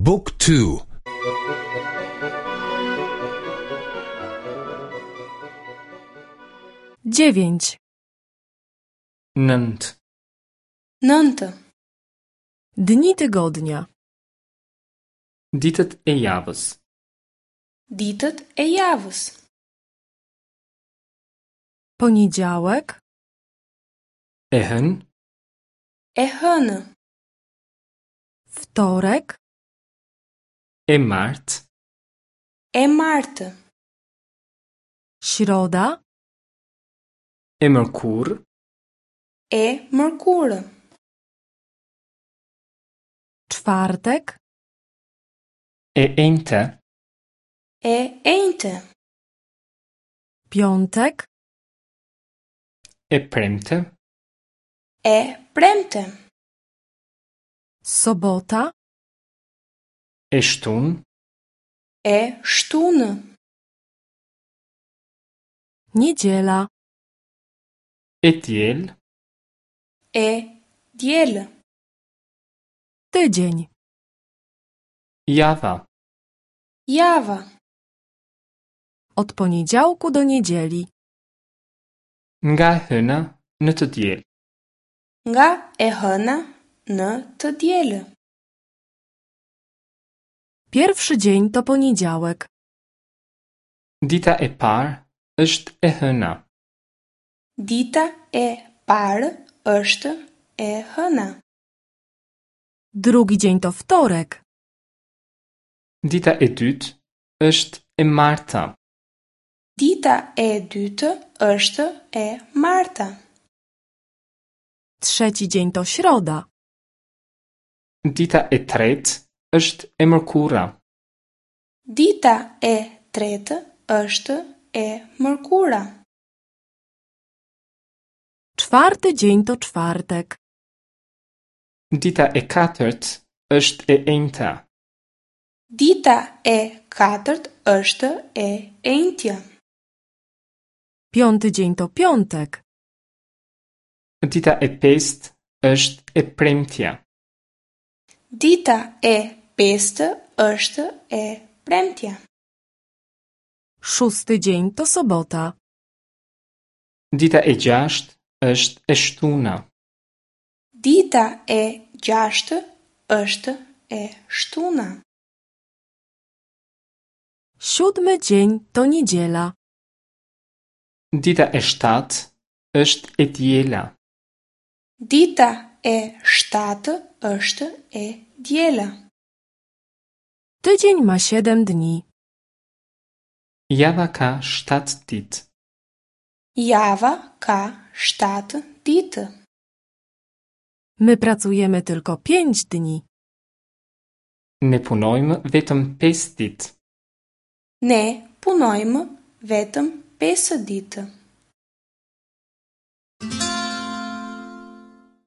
บุ๊กทู Dziewięć. Nëntë. Nëntë. Dni tygodnia. Ditët e javës. Ditët e javës. Poniedziałek, E hënë, E hënë. wtorek, e martë, E martë. środa, e mërkurë, E mërkurë. czwartek, e enjte, E enjte. piątek, e premte, E premte. sobota, e shtunë, E shtunë. niedziela, e diel, E diel. tydzień. java. Java. Od poniedziałku do niedzieli. Nga e hëna në të diel. Nga e hëna në të dielë. Pierwszy dzień to poniedziałek. Dita e parë është e hëna. Dita e parë është e hëna. Drugi dzień to wtorek. Dita e dytë është e marta. Dita e dytë është e marta. Trzeci dzień to środa. Dita e tretë është e mërkura. Dita e tretë është e mërkura. Czwarty dzień to czwartek. Dita e katërt është e enjta. Dita e katërt është e enjtja. Piąty dzień to piątek. Dita e pestë është e premtja. Dita e pestë është e premtja. Szósty dzień to sobota. Dita e gjashtë është e shtuna. Dita e gjashtë është e shtuna. Siódmy dzień to niedziela. Dita e shtatë është e diela. Dita e shtatë është e diela. Tydzień ma siedem dni. Java ka 7 ditë. Java ka 7 ditë. My pracujemy tylko pięć dni. Ne punojmë vetëm 5 ditë. Ne punojmë vetëm 5 ditë.